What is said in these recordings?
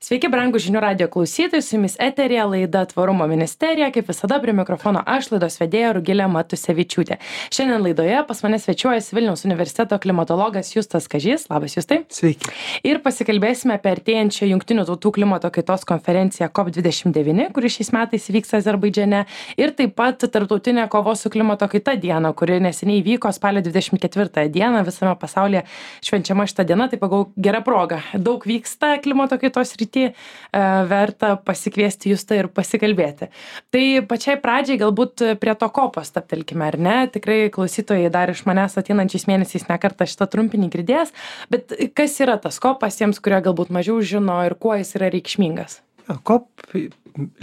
Sveiki, brangų žinių radio klausytojai, su jumis eterija laida Tvarumo ministerija, kaip visada prie mikrofono aš, laidos vedėja Rugilė Matusevičiūtė. Šiandien laidoje pas mane svečiuojasi Vilniaus universiteto klimatologas Justas Kažys. Labas, Justai. Sveiki. Ir pasikalbėsime apie artėjančią Jungtinių tautų klimato kaitos konferenciją COP29, kuri šiais metais vyks Azerbaidžane, ir taip pat tarptautinę kovos su klimato kaita dieną, kuri neseniai vyko spalio 24 dieną visame pasaulyje švenčiama šitą dieną. Tai pagal gerą progą. Daug vyksta klimato kaitos rytyje. Verta pasikviesti Justą ir pasikalbėti. Tai pačiai pradžiai galbūt prie to kopo stabtelkime, ar ne? Tikrai klausytojai dar iš manęs ateinančiais mėnesiais nekartą šitą trumpinį girdės, bet kas yra tas kopas tiems, kurie galbūt mažiau žino ir kuo jis yra reikšmingas? COP,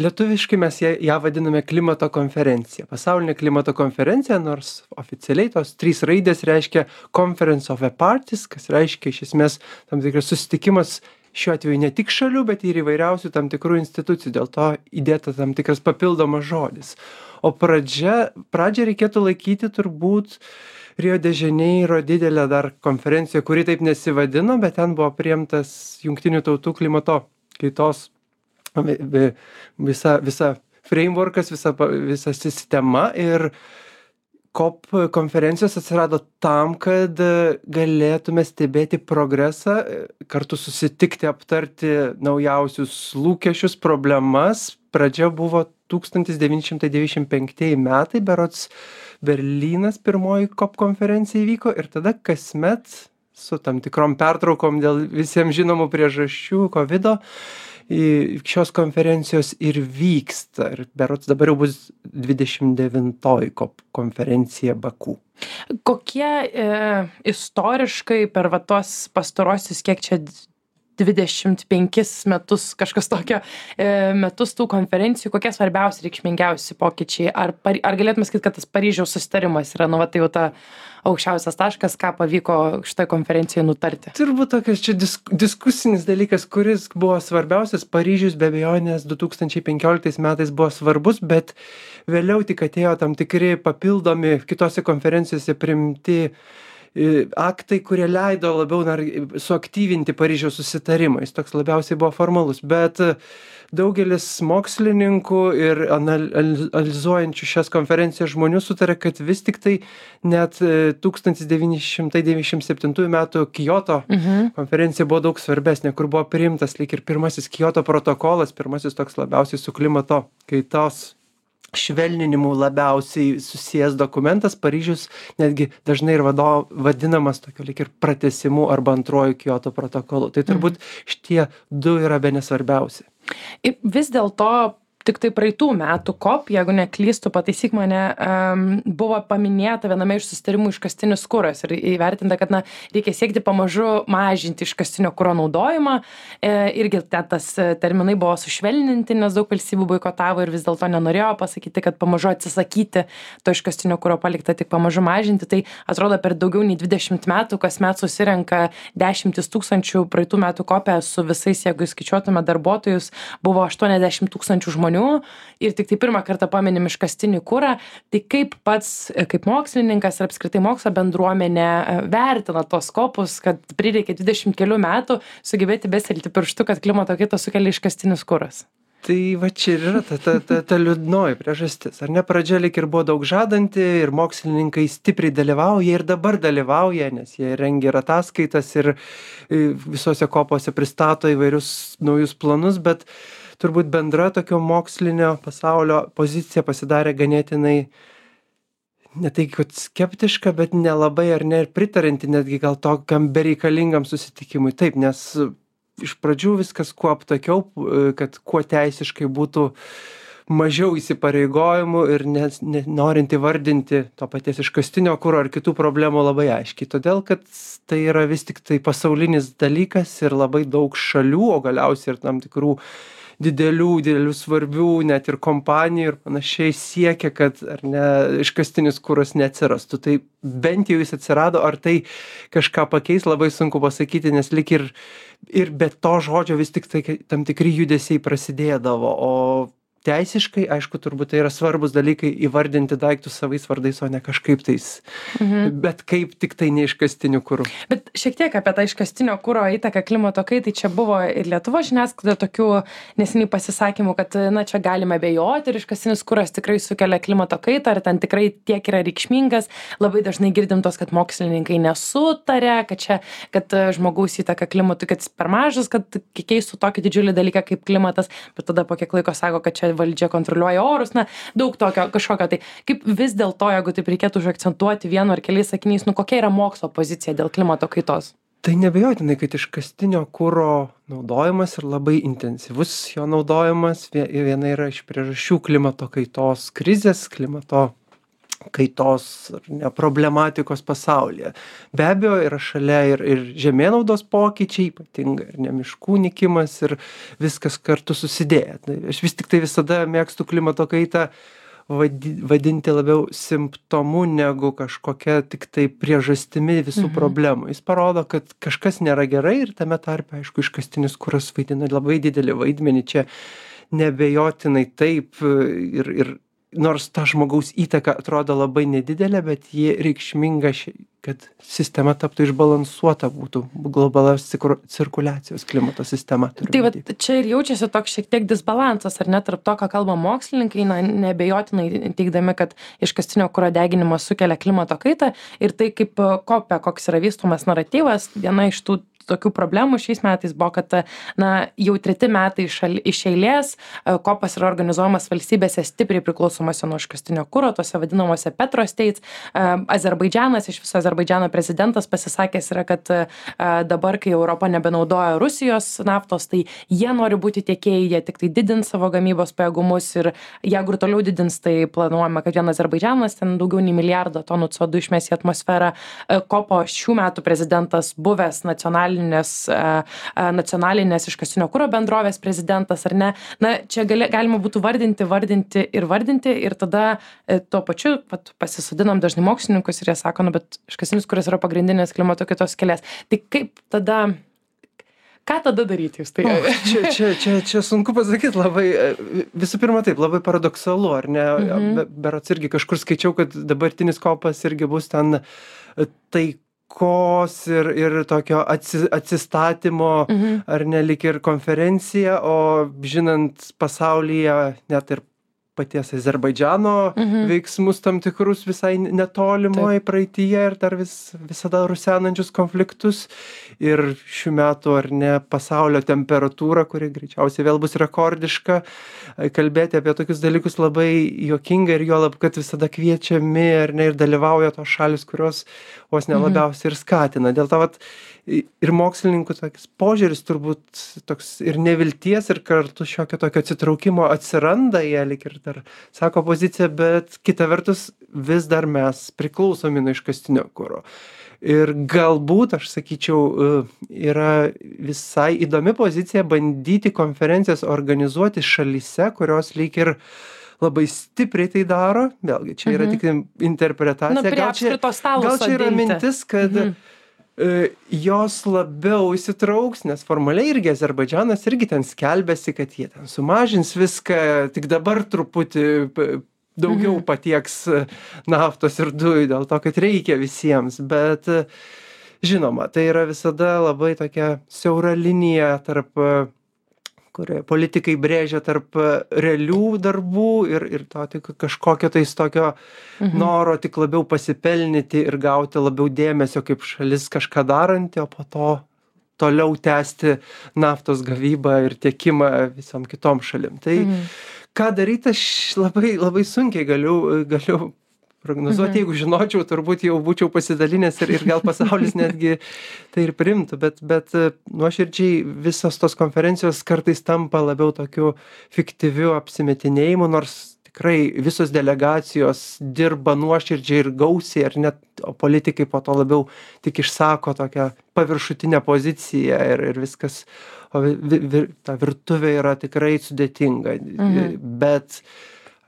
lietuviškai mes ją vadiname klimato konferencija. Pasaulinė klimato konferencija, nors oficialiai tos 3 raidės reiškia Conference of the Parties, kas reiškia iš esmės tam tikras susitikimas šiuo atveju ne tik šalių, bet ir įvairiausių tam tikrų institucijų, dėl to įdėta tam tikras papildomas žodis. O pradžią reikėtų laikyti turbūt Rio de Janeiro didelę dar konferenciją, kuri taip nesivadino, bet ten buvo priimtas Jungtinių tautų klimato kaitos visa frameworkas, visa sistema, ir COP konferencijos atsirado tam, kad galėtume stebėti progresą, kartu susitikti, aptarti naujausius lūkesčius, problemas. Pradžia buvo 1995 metai, berods Berlynas pirmoji COP konferencija įvyko, ir tada kasmet su tam tikrom pertraukom dėl visiems žinomų priežasčių, COVID-o, šios konferencijos ir vyksta. Ir berods dabar jau bus 29 COP konferencija Baku. Kokie istoriškai per tuos pastarosius, kiek čia 25 metus, kažkas tokio, metus tų konferencijų, kokie svarbiausi, reikšmingiausi pokyčiai? Ar galėtume sakyti, kad tas Paryžiaus susitarimas yra, tai jau ta aukščiausias taškas, ką pavyko šitoje konferencijoje nutarti? Turbūt tokias čia diskusinis dalykas, kuris buvo svarbiausias. Paryžius be abejonės 2015 metais buvo svarbus, bet vėliau tik atėjo tam tikri papildomi kitose konferencijose priimti aktai, kurie leido labiau suaktyvinti Paryžiaus susitarimą. Jis toks labiausiai buvo formalus, bet daugelis mokslininkų ir analizuojančių šias konferencijas žmonių sutarė, kad vis tik tai net 1997 metų Kyoto konferencija buvo daug svarbesnė, kur buvo priimtas lyg ir pirmasis Kyoto protokolas, pirmasis toks labiausiai su klimato kaitos švelninimu labiausiai susijęs dokumentas. Paryžius netgi dažnai ir vadinamas tokio lyg ir pratęsimu arba antruoju Kyoto protokolu. Tai turbūt šitie 2 yra bene svarbiausi. Vis dėlto tik tai praeitų metų COP, jeigu neklystu, pataisyk mane, buvo paminėta viename iš susitarimų iškastinis kuras ir įvertinta, kad reikia siekti pamažu mažinti iškastinio kuro naudojimą. Irgi tas terminai buvo sušvelninti, nes daug valstybių boikotavo ir vis dėlto nenorėjo pasakyti, kad pamažu atsisakyti to iškastinio kuro, palikta tik pamažu mažinti. Tai atrodo, per daugiau nei 20 metų kasmet susirenka 10 000, praeitų metų COP su visais, jeigu skaičiuotume darbuotojus, buvo 80 000 žmonių. Ir tik tai pirmą kartą paminim iškastinį kurą. Tai kaip pats, kaip mokslininkas ir apskritai mokslo bendruomenė vertina tos kopus, kad prireikė 20 kelių metų sugebėti bestelti pirštu, kad klimato kaitą sukelia iškastinis kuras? Tai va čia ir yra ta liūdnoji priežastis. Ar ne, pradžia lyg ir buvo daug žadanti ir mokslininkai stipriai dalyvauja ir dabar dalyvauja, nes jie rengia ir ataskaitas ir visose kopose pristato įvairius naujus planus, bet turbūt bendra tokio mokslinio pasaulio pozicija pasidarė ganėtinai, ne tai kad skeptiška, bet nelabai ar ne ir pritarinti netgi gal tokiam bereikalingam susitikimui. Taip, nes iš pradžių viskas kuo aptakiau, kad kuo teisiškai būtų mažiau įsipareigojimų ir norint įvardinti to paties iškastinio kuro ar kitų problemų labai aiškiai. Todėl, kad tai yra vis tik tai pasaulinis dalykas ir labai daug šalių, o galiausiai ir tam tikrų didelių svarbių net ir kompanijų ir panašiai siekia, kad ar ne, iškastinis kuras neatsirastų. Tai bent jau jis atsirado, ar tai kažką pakeis, labai sunku pasakyti, nes lyg ir be to žodžio vis tik tai tam tikri judesiai prasidėdavo, o teisiškai, aišku, turbūt tai yra svarbus dalykai įvardinti daiktus savais vardais, o ne kažkaip tais, bet kaip tik tai neiškastiniu kuru. Bet šiek tiek apie tą iškastinio kuro įtaką klimato kaitai, čia buvo ir Lietuvos žiniasklaida tokių neseniai pasisakymų, kad na, čia galime abejoti ir iškastinis kuras tikrai sukelia klimato kaitą, ar ten tikrai tiek yra reikšmingas. Labai dažnai girdim tos, kad mokslininkai nesutarė, kad žmogaus įtaka klimatui, kad jis per mažas, kad keistų tokį didžiulį dalyką kaip klimatas, bet tada po kiek laiko sako, kad čia valdžia kontroliuoja orus, na, daug tokio kažkokio. Tai kaip vis dėlto, jeigu taip reikėtų užakcentuoti vienu ar keliais sakiniais, nu kokia yra mokslo pozicija dėl klimato kaitos? Tai neabejotinai, kad iškastinio kuro naudojimas ir labai intensyvus jo naudojimas viena yra iš priežasčių klimato kaitos krizės, klimato kaitos problematikos pasaulyje. Be abejo, yra šalia ir žemėnaudos pokyčiai, ypatingai ir ne miškų nykimas ir viskas kartu susidėję. Aš vis tik tai visada mėgstu klimato kaitą vadinti labiau simptomu negu kažkokia tik tai priežastimi visų problemų. Jis parodo, kad kažkas nėra gerai ir tame tarpe, aišku, iškastinis kuras vaidina labai didelį vaidmenį. Čia neabejotinai taip ir nors ta žmogaus įtaka atrodo labai nedidelė, bet ji reikšminga, kad sistema taptų išbalansuota, būtų globalios cirkuliacijos klimato sistema. Tai va, čia ir jaučiasi toks šiek tiek disbalansas, ar ne, tarp to, ką kalba mokslininkai, na, neabejotinai teigdami, kad iškastinio kuro deginimas sukelia klimato kaitą ir tai kaip koks yra vystomas naratyvas, viena iš tų tokių problemų šiais metais buvo, kad na, jau 3 metai iš eilės kopas yra organizuojamas valstybėse stipriai priklausomose nuo iškastinio kuro, tose vadinamuose petrostates. Azerbaidžanas, iš viso Azerbaidžano prezidentas pasisakęs yra, kad dabar, kai Europa nebenaudoja Rusijos naftos, tai jie nori būti tiekėjai, jie tik tai didins savo gamybos pajėgumus ir jeigu ir toliau didins, tai planuojama, kad vien Azerbaidžanas ten daugiau nei 1 milijardą tonų CO2 išmes į atmosferą. Kopo šių metų prezidentas buvęs nacionalinės iškastinio kuro bendrovės prezidentas, ar ne? Na, čia galima būtų vardinti ir tada tuo pačiu pasisodinam dažnai mokslininkus ir jie sako, nu, bet iškastinis kuras yra pagrindinės klimato kaitos kelias. Tai kaip tada, ką tada daryti jūs? Tai... Čia sunku pasakyti labai, visų pirma taip, labai paradoksalu, ar ne? Berods irgi kažkur skaičiau, kad dabartinis kopas irgi bus ten taikos ir tokio atsistatymo, ar ne, lyg ir konferencija, o žinant pasaulyje net ir paties Azerbaidžano veiksmus tam tikrus visai netolimoje praeityje ir dar visada rusenančius konfliktus. Ir šių metų, ar ne, pasaulio temperatūra, kuri greičiausiai vėl bus rekordiška, kalbėti apie tokius dalykus labai juokinga ir juolab, kad visada kviečiami, ar ne, ir dalyvauja tos šalis, kurios vos nelabiausiai ir skatina. Dėl to, ir mokslininkų toks požiūris turbūt toks ir nevilties, ir kartu šiokio tokio atsitraukimo atsiranda, jie lyg ir dar sako poziciją, bet kita vertus vis dar mes priklausomi nuo iškastinio kuro. Ir galbūt, aš sakyčiau, yra visai įdomi pozicija bandyti konferencijas organizuoti šalyse, kurios lyg ir labai stipriai tai daro. Vėlgi, čia yra tik interpretacija. Gal čia yra mintis, kad jos labiau įsitrauks, nes formaliai irgi Azerbaidžanas irgi ten skelbėsi, kad jie ten sumažins viską, tik dabar truputį daugiau patieks naftos ir dujų dėl to, kad reikia visiems. Bet žinoma, tai yra visada labai tokia siaura linija tarp, kurioje politikai brėžia tarp realių darbų ir to tik kažkokio tais tokio noro tik labiau pasipelnyti ir gauti labiau dėmesio kaip šalis kažką daranti, o po to toliau tęsti naftos gavybą ir tiekimą visom kitom šalim. Tai ką daryti, aš labai sunkiai galiu prognozuoti, jeigu žinočiau, turbūt jau būčiau pasidalinęs ir gal pasaulis netgi tai ir priimtų, bet nuoširdžiai visos tos konferencijos kartais tampa labiau tokiu fiktyviu apsimetinėjimu, nors tikrai visos delegacijos dirba nuoširdžiai ir gausiai, ar net politikai po to labiau tik išsako tokią paviršutinę poziciją ir viskas, o ta virtuvė yra tikrai sudėtinga, bet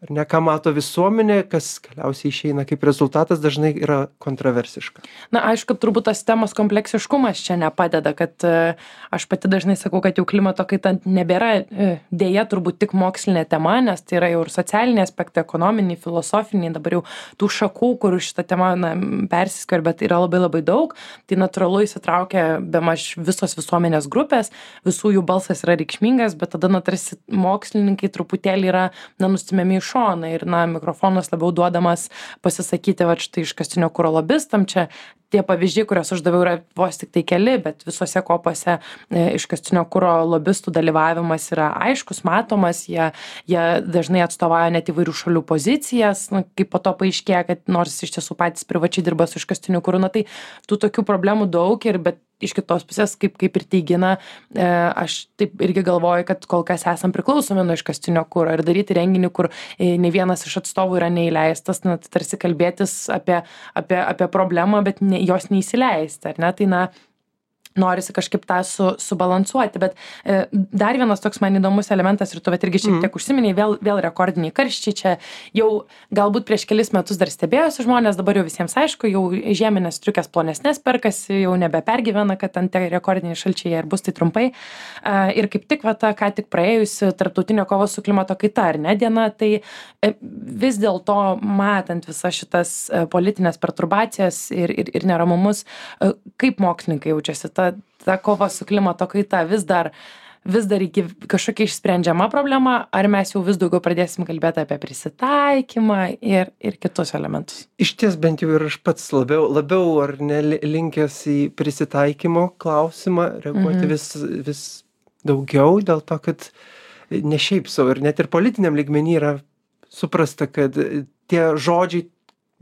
ar ne, ką mato visuomenė, kas galiausiai išeina kaip rezultatas, dažnai yra kontroversiška. Na, aišku, turbūt tas temos kompleksiškumas čia nepadeda, kad aš pati dažnai sakau, kad jau klimato kaita nebėra dėja turbūt tik mokslinė tema, nes tai yra jau ir socialiniai aspektai, ekonominiai, filosofiniai, dabar jau tų šakų, kur šitą temą persiskverbia, bet yra labai labai daug, tai natūralu įsitraukia bemaž visos visuomenės grupės, visų jų balsas yra reikšmingas, bet tada, tarsi mokslininkai truputėlį yra, nustumiami į šoną ir, mikrofonas labiau duodamas pasisakyti, štai iškastinio kuro lobistam, čia tie pavyzdžiai, kuriuos aš daviau, yra vos tik tai keli, bet visose kopose iškastinio kuro lobistų dalyvavimas yra aiškus, matomas, jie dažnai atstovauja net įvairių šalių pozicijas, kaip po to paaiškėja, kad nors iš tiesų patys privačiai dirba su iškastiniu kuru, tai tų tokių problemų daug bet iš kitos pusės, kaip ir teigina, aš taip irgi galvoju, kad kol kas esam priklausomi nuo iškastinio kuro ir daryti renginį, kur ne vienas iš atstovų yra neįleistas, tarsi kalbėtis apie problemą, bet jos neįsileisti, ar ne? Tai norisi kažkaip tą subalansuoti, bet dar vienas toks man įdomus elementas ir tu irgi šiek tiek užsiminiai, vėl rekordiniai karščiai, čia jau galbūt prieš kelis metus dar stebėjosi žmonės, dabar jau visiems aišku, jau žieminės striukės plonesnės perkasi, jau nebepergyvena, kad ant tie rekordiniai šalčiai ir bus tai trumpai. Ir kaip tik ką tik praėjusi tarptautinio kovos su klimato kaita, ar ne, diena, tai vis dėlto matant visas šitas politinės perturbacijas ir neramumus, kaip mokslininkai jaučiasi, ta kova su klimato kaita vis dar kažkokia išsprendžiama problema, ar mes jau vis daugiau pradėsim kalbėti apie prisitaikymą ir kitus elementus? Iš ties bent jau ir aš pats labiau ar ne linkęs į prisitaikymo klausimą reaguoti vis daugiau, dėl to, kad ne šiaip savo ir net ir politiniam lygmenį yra suprasta, kad tie žodžiai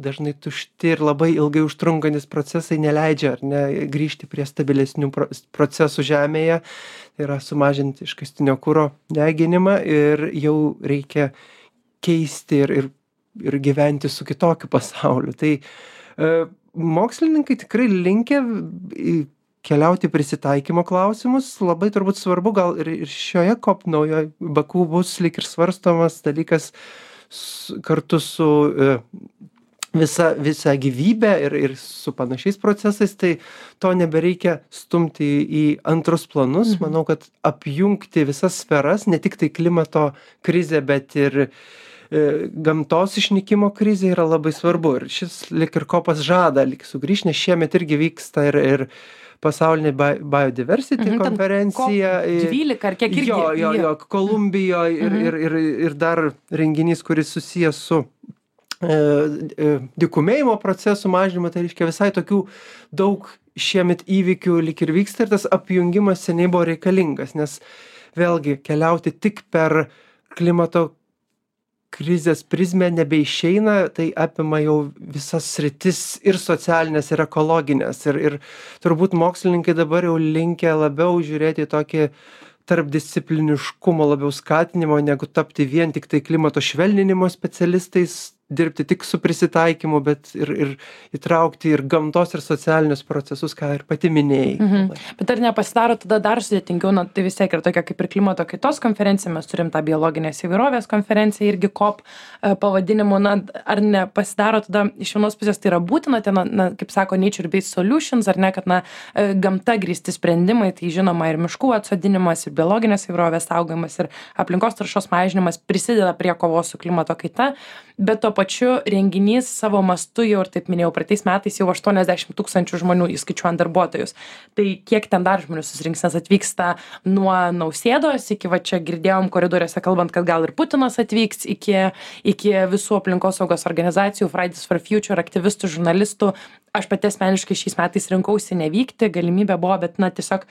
dažnai tušti ir labai ilgai užtrunkantis procesai neleidžia ar ne grįžti prie stabilesnių procesų žemėje, tai yra sumažinti iškastinio kuro deginimą ir jau reikia keisti ir gyventi su kitokiu pasauliu. Tai mokslininkai tikrai linkę keliauti prisitaikymo klausimus, labai turbūt svarbu, gal ir šioje COP naujoje Baku bus lyg ir svarstomas dalykas kartu su visa gyvybė ir su panašiais procesais, tai to nebereikia stumti į antrus planus. Manau, kad apjungti visas sferas, ne tik tai klimato krizė, bet ir gamtos išnykimo krizė yra labai svarbu. Ir šis lyg ir kopas žada lyg sugrįžti, nes šiemet irgi vyksta ir pasaulinė biodiversity konferencija. 12 ar kiek irgi. Jo, Kolumbijoje ir dar renginys, kuris susijęs su dykumėjimo procesų mažinimo, tai reiškia visai tokių daug šiemet įvykių lyg ir vyksta ir tas apjungimas seniai buvo reikalingas, nes vėlgi keliauti tik per klimato krizės prizmę nebeišeina, tai apima jau visas sritis ir socialinės, ir ekologinės. Ir turbūt mokslininkai dabar jau linkę labiau žiūrėti į tokį tarpdiscipliniškumo labiau skatinimo, negu tapti vien tik tai klimato švelninimo specialistais, dirbti tik su prisitaikymu, bet ir įtraukti ir gamtos ir socialinius procesus, ką ir pati minėjai. Bet ar nepasidaro tada dar sudėtingiau, tai vis tiek yra tokia kaip ir klimato kaitos konferencija, mes turim tą biologinės įvairovės konferenciją, irgi COP pavadinimu, ar nepasidaro tada iš vienos pusės tai yra būtina, kaip sako Nature-Based Solutions, ar ne, kad gamta grįsti sprendimai, tai žinoma ir miškų atsodinimas, ir biologinės įvairovės saugojimas, ir aplinkos taršos mažinimas prisideda prie kovos su klimato kaita, bet to pačiu renginys savo mastu jau ir taip minėjau, praeitais metais jau 80 000 žmonių įskaičiuojant darbuotojus. Tai kiek ten dar žmonių susirinks, nes atvyksta nuo Nausėdos iki, čia girdėjom koridoriuose kalbant, kad gal ir Putinas atvyks, iki visų aplinkosaugos organizacijų, Fridays for Future, aktyvistų, žurnalistų. Aš pati asmeniškai šiais metais rinkausi nevykti, galimybė buvo, bet tiesiog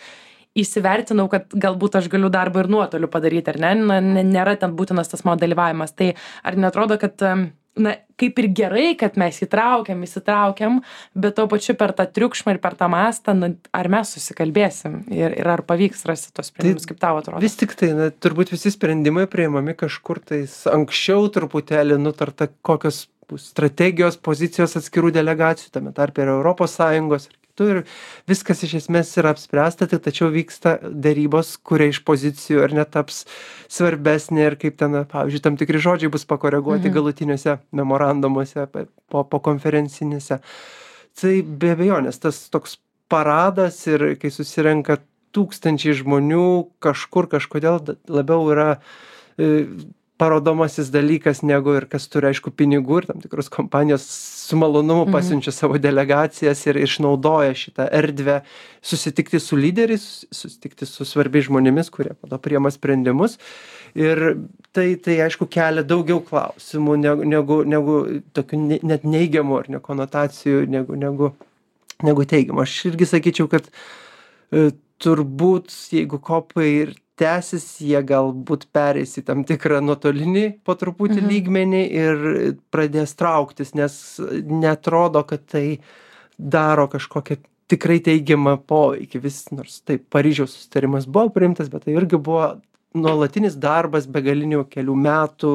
įsivertinau, kad galbūt aš galiu darbą ir nuotoliu padaryti, ar ne? Nėra ten būtinas tas mano dalyvavimas. Tai ar netrodo, kad kaip ir gerai, kad mes įsitraukiam, bet to pačiu per tą triukšmą ir per tą mastą, ar mes susikalbėsim ir ar pavyks rasti tos sprendimus, kaip tau atrodo? Vis tik tai, turbūt visi sprendimai priimami kažkur tais anksčiau truputėlį nutarta, kokios bus strategijos, pozicijos atskirų delegacijų, tame tarpe ir Europos Sąjungos ir raštu ir viskas iš esmės yra apspręsta, tai tačiau vyksta dėrybos, kurie iš pozicijų ar netaps svarbesnė ir kaip ten, pavyzdžiui, tam tikri žodžiai bus pakoreguoti galutiniuose memorandumuose po konferencinėse. Tai be abejonės tas toks paradas ir kai susirenka tūkstančiai žmonių kažkur kažkodėl labiau yra parodomasis dalykas negu ir kas turi aišku pinigų ir tam tikros kompanijos su malonumu pasiunčia savo delegacijas ir išnaudoja šitą erdvę susitikti su lyderiais, susitikti su svarbiais žmonėmis, kurie po to priima sprendimus. Ir tai aišku kelia daugiau klausimų negu tokių net neigiamų ar ne konotacijų negu teigiamų. Aš irgi sakyčiau, kad turbūt jeigu kopai ir tęsis, jie galbūt pereis į tam tikrą nuotolinį po truputį lygmenį ir pradės trauktis, nes neatrodo, kad tai daro kažkokią tikrai teigiamą poveikį. Nors taip, Paryžiaus susitarimas buvo priimtas, bet tai irgi buvo nuolatinis darbas begalinių kelių metų,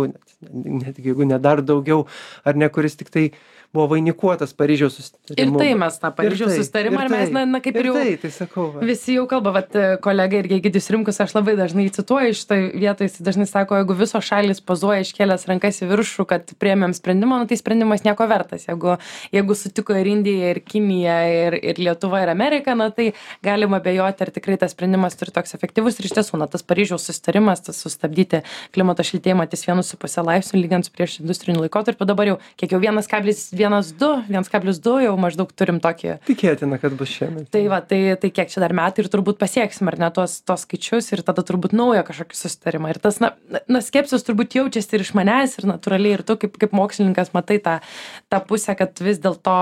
net jeigu ne dar daugiau, ar ne, kuris tik tai buvo vainikuotas Paryžiaus susitarimu. Ir tai mes tą Paryžiaus susitarimą, ir mes, kaip ir jau tai sakau, visi jau kalba, vat kolega irgi Egidijus Rimkus, aš labai dažnai cituoju šitoj vietoj, jis dažnai sako, jeigu visos šalys pozuoja iškėlęs rankas į viršų, kad priėmėm sprendimą, tai sprendimas nieko vertas. Jeigu sutiko ir Indija, ir Kinija, ir Lietuva, ir Amerika, tai galima abejoti, ar tikrai tas sprendimas turi toks efektyvus. Ir iš tiesų, tas Paryžiaus susitarimas, tas sustabdyti klimato šiltėjimą ties 1,5 laipsnių lygiant su prieš industriniu laikotarpiu, dabar jau kiek jau 1,2 jau maždaug turim tokį. Tikėtina, kad bus šiemet. Tai kiek čia dar metai ir turbūt pasieksim, ar ne, tos skaičius ir tada turbūt naują kažkokį susitarimą. Ir tas, skepsis turbūt jaučiasi ir iš manęs, ir natūraliai, ir tu kaip mokslininkas matai tą pusę, kad vis dėlto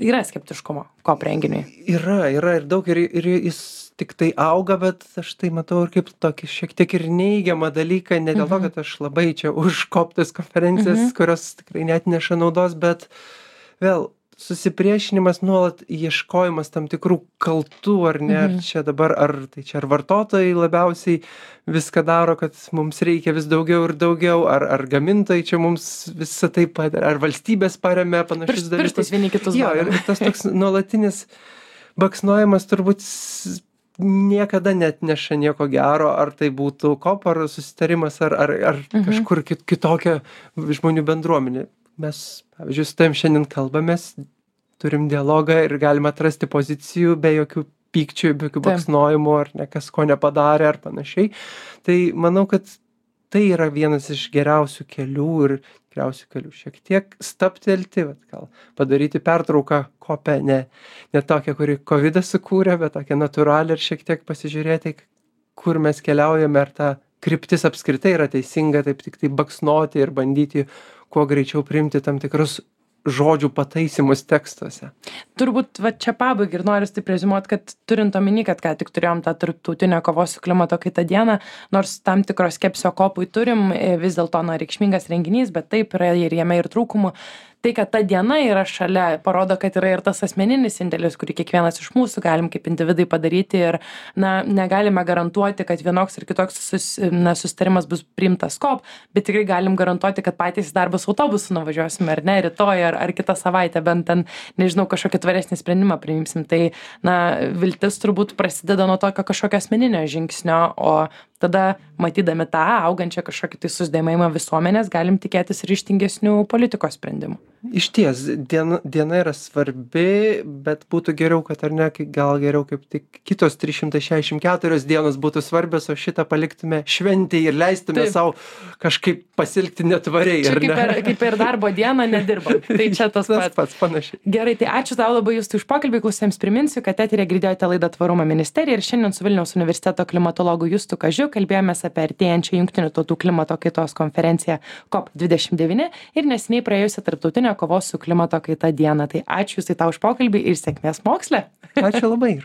yra skeptiškumo COP renginiui. Yra ir daug, ir jis tik tai auga, bet aš tai matau ir kaip tokį šiek tiek ir neigiamą dalyką, ne dėl to, kad aš labai čia už COP tas konferencijas, kurios tikrai net neša naudos, bet vėl susipriešinimas, nuolat ieškojimas tam tikrų kaltų, ar ne, ar čia dabar, ar vartotojai labiausiai viską daro, kad mums reikia vis daugiau ir daugiau, ar gamintojai čia mums visą tai padaro, ar valstybės paremia panašius dalykus. Pirštais vieni kitus. Jo, ir tas toks nuolatinis baksnojimas turbūt niekada net neša nieko gero, ar tai būtų COP, ar susitarimas, ar kažkur kitokia žmonių bendruomenė. Mes, pavyzdžiui, su tavim šiandien kalbamės, turim dialogą ir galime atrasti pozicijų be jokių pykčių, be jokių baksnojimų, ar ne kas ko nepadarė, ar panašiai. Tai manau, kad tai yra vienas iš geriausių kelių ir geriausių kelių šiek tiek stabtelti, gal padaryti pertrauką COP-e, ne tokią, kuri COVID-as sukūrė, bet tokią natūralią ir šiek tiek pasižiūrėti, kur mes keliaujame, ar ta kryptis apskritai yra teisinga, taip tik tai baksnoti ir bandyti kuo greičiau priimti tam tikrus žodžių pataisymus tekstuose. Turbūt čia pabaigai ir noriu taip reziumuoti, kad turint omeny, kad ką tik turėjom tą tarptautinę kovos su klimato kaita dieną, nors tam tikros skepsio kopui turim, vis dėlto reikšmingas renginys, bet taip yra ir jame ir trūkumų. Tai, kad ta diena yra šalia, parodo, kad yra ir tas asmeninis indėlis, kurį kiekvienas iš mūsų galim kaip individai padaryti ir negalime garantuoti, kad vienoks ir kitoks susitarimas bus priimtas COP, bet tikrai galim garantuoti, kad patys darbus autobusu nuvažiuosime, ar ne, rytoj, ar kitą savaitę, bent ten, nežinau, kažkokį tvaresnį sprendimą priimsim. Tai, viltis turbūt prasideda nuo tokio kažkokio asmeninio žingsnio, o tada, matydami tą augančią kažkokį tai susidomėjimą visuomenės, galim tikėtis ryžtingesnių politikos sprendimų. Išties, diena yra svarbi, bet būtų geriau, kad ar ne, gal geriau kaip tik kitos 364 dienos būtų svarbios, o šitą paliktume šventį ir leistume savo kažkaip pasilgti netvariai. Čia kaip ir darbo dieną nedirbam. Tai čia tas pats panašiai. Gerai, tai ačiū tau labai Justai už pokalbį. Klausytojams priminsiu, kad eteryje girdėjote laidą Tvarumo ministerija ir šiandien su Vilniaus universiteto klimatologu Justu Kažiu kalbėjomės apie artėjančią Jungtinių tautų klimato kaitos konferenciją COP29 ir neseniai praėjusią tarptautinę kovos su klimato kaita dieną. Tai ačiū Justai tau už pokalbį ir sėkmės moksle. Ačiū labai.